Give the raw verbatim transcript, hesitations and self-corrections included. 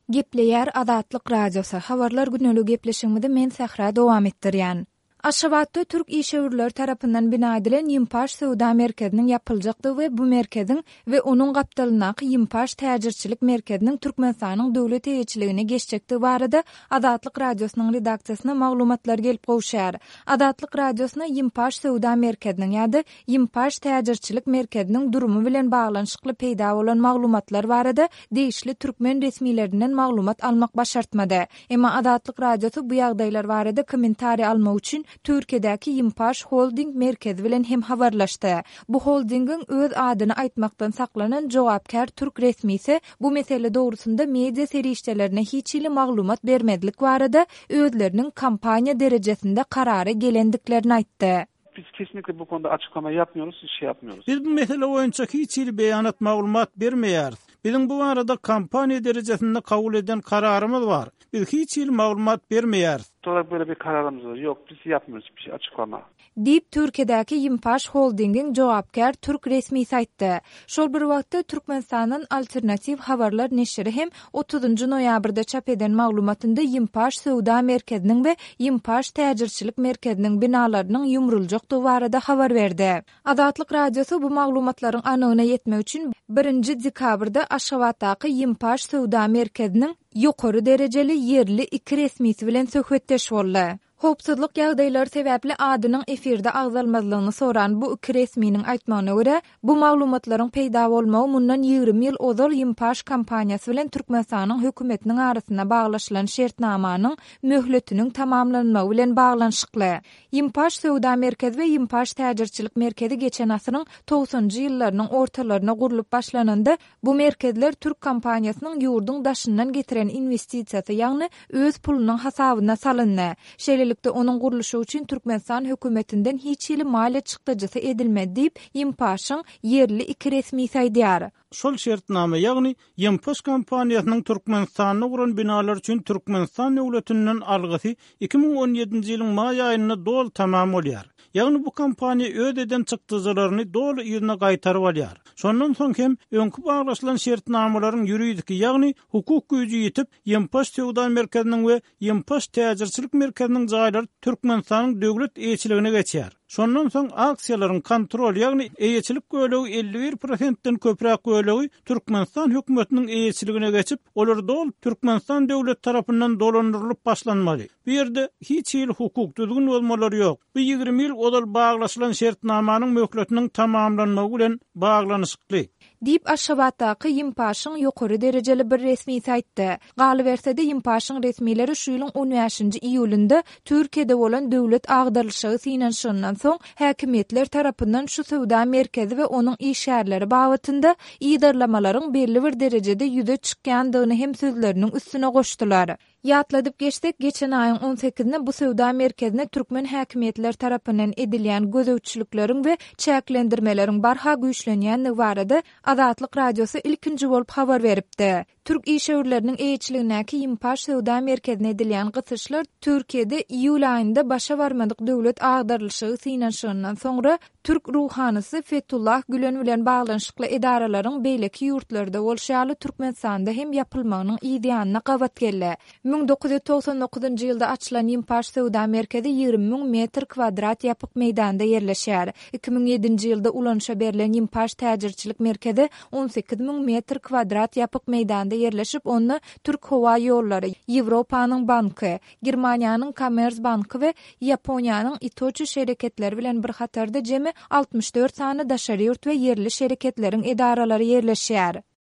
Gepleýär Azatlyk Radiosy, Habarlar güneli gepleşigimizi men Sähra dowam etdirýän. Aşgabatda türk işewürleri tarapyndan bina edilen Ýimpaş söwda merkeziniň ýapyljakdygy we bu merkeziň we onuň gapdalyndaky Ýimpaş täjirçilik merkeziniň Türkmenistanyň döwlet eýeçiligine geçjekdigi barada Azatlyk Radiosynyň redaksiýasyna maglumatlar gelip gowuşýar. Azatlyk Radiosyna Ýimpaş söwda merkeziniň ýa-da Ýimpaş täjirçilik merkeziniň durumy bilen baglanyşykly peýda bolan maglumatlar barada degişli türkmen resmilerinden maglumat almak başartmady. Emma Azatlyk Radiosy bu ýagdaýlar barada kommentariý almak üçin Türkiýedäki Ýimpaş Holding merkezi bilen hem habarlaşdy. Bu holdingiň öz adyny aýtmakdan saklanan jogapkär türk resmisi bu mesele dogrusynda media serişdelerine hiç hili maglumat bermezlik barada özleriniň kompaniýa derejesinde karara gelendiklerini aýtdy. Biz kesinlikle bu konuda açıklama yapmıyoruz, şey yapmıyoruz. Biz bu mesele boýunça hiç hili beýanat maglumat bermeýäris. Biziň bu barada kompaniýa derejesinde kabul eden kararymyz bar. Biz hiç hili maglumat bermeýäris. Olarak böyle bir kararımız var. Yok, biz yapmıyoruz bir şey açıklama. Diýip, Türkiýedäki Ýimpaş Holdingiň jogapkär türk resmisi aýtdy. Şol bir wagtda Türkmenistandan Alternatiw habarlar neşiri hem otuzynjy noýabrda çap eden maglumatynda Ýimpaş söwda merkeziniň we Ýimpaş täjirçilik merkeziniň binalarynyň ýumruljakdygy barada habar berdi. Azatlyk Radiosy bu maglumatlaryň anygyna ýetmek üçin birinji dekabrda Aşgabatdaky Ýimpaş söwda merkeziniň ýokary derejeli ýerli iki resmisi bilen söhbetdeş boldy. Howpsuzlyk ýagdaýlary sebäpli adynyň efirde agzalmazlygyny soran bu iki resminiň aýtmagyna görä, bu maglumatlaryň peýda bolmagy mundan ýigrimi ýyl ozal Ýimpaş kompaniýasy bilen Türkmenistanyň hökümetiniň arasynda baglaşylan şertnamanyň möhletiniň tamamlanmagy bilen baglanyşykly. Ýimpaş söwda merkezi we Ýimpaş täjirçilik merkezi geçen asyryň togsanjy ýyllarynyň ortalaryna gurlup başlananda, bu merkezler türk kompaniýasynyň ýurduň daşyndan getiren inwestisiýasy, ýagny öz pulunyň hasabyna salyndy. Şeýlelikde, onuň gurluşygy üçin Türkmenistan hökümetinden hiç hili maliýe çykdajysy edilmedi diýip, Ýimpaşyň ýerli iki resmisi aýdýar. Şol şertnama, ýagny Ýimpaş kompaniýasynyň Türkmenistanda guran binalary üçin Türkmenistan döwletinden algysy iki müň on ýedinji ýylyň maý aýynda doly tamam bolýar. Ýagny bu kompaniýa öz eden çykdajylaryny doly yzyna gaýtaryp alýar. Şondan soň hem öňki baglaşylan şertnamalaryň ýuridiki, ýagny hukuk güýji ýitip, Ýimpaş söwda merkeziniň we Ýimpaş täjirçilik merkeziniň jaýlary Türkmenistanyň döwlet eýeçiligine geçýär. Şondan soň aksiýalaryň kontrol, ýagny eýeçilik bölegi elli bir prosentden köpräk bölegi Türkmenistan hökümetiniň eýeçiligine geçip, olar doly Türkmenistan döwlet tarapyndan dolandyrylyp başlanmaly. Bu ýerde hiç hili hukuk düzgün bozmalary ýok. Bu ýigrimi ýyl ozal baglaşylan şertnamanyň möhletiniň tamamlanmagy bilen baglanyşykly. Diýip, Aşgabatdaky Ýimpaşyň ýokary derejeli bir resmisi aýtdy. Galyberse-de, Ýimpaşyň resmileri şu ýylyň on bäşinji iýulynda Türkiýede bolan döwlet agdarylyşygy synanyşygyndan soň häkimiýetler tarapyndan şu söwda merkezi we onuň işgärleri babatynda yzarlamalaryň belli bir derejede ýüze çykýandygyny hem sözleriniň üstüne goşdular. Ýatladyp geçsek, geçen aýyň on sekizinde bu söwda merkezine türkmen häkimiýetleri tarapyndan edilýän gözegçilikleriň we çäklendirmeleriň barha güýçlenýändigi barada Azatlyk Radiosy ilkinji bolup habar beripdi. Türk işewürleriniň eýeçiligindäki Ýimpaş söwda merkezine edilýän gysyşlar Türkiýede iýul aýynda başa barmadyk döwlet agdarylyşygy synanyşygyndan soňra türk ruhanysy Fethullah Gülen bilen baglanyşykly edaralaryň beýleki ýurtlarda bolşy ýaly Türkmenistanda hem ýapylmagynyň yz ýanyna gabat geldi. Müň dokuz ýüz togsan dokuzynjy ýylda açylan Ýimpaş söwda merkezi ýigrimi müň metr kwadrat ýapyk meýdanda ýerleşýär. Iki müň ýedinji ýylda ulanyşa berlen Ýimpaş täjirçilik merkezi on sekiz müň metr kwadrat ýapyk meýdanda ýerleşip, onda Türk howa ýollary, Ýewropanyň banky, Germaniýanyň Commerzbanky we Ýaponiýanyň Itochu şereketleri bilen bir hatarda jemi altmyş dört sany daşary ýurt we ýerli şereketleriň edaralary ýerleşýär.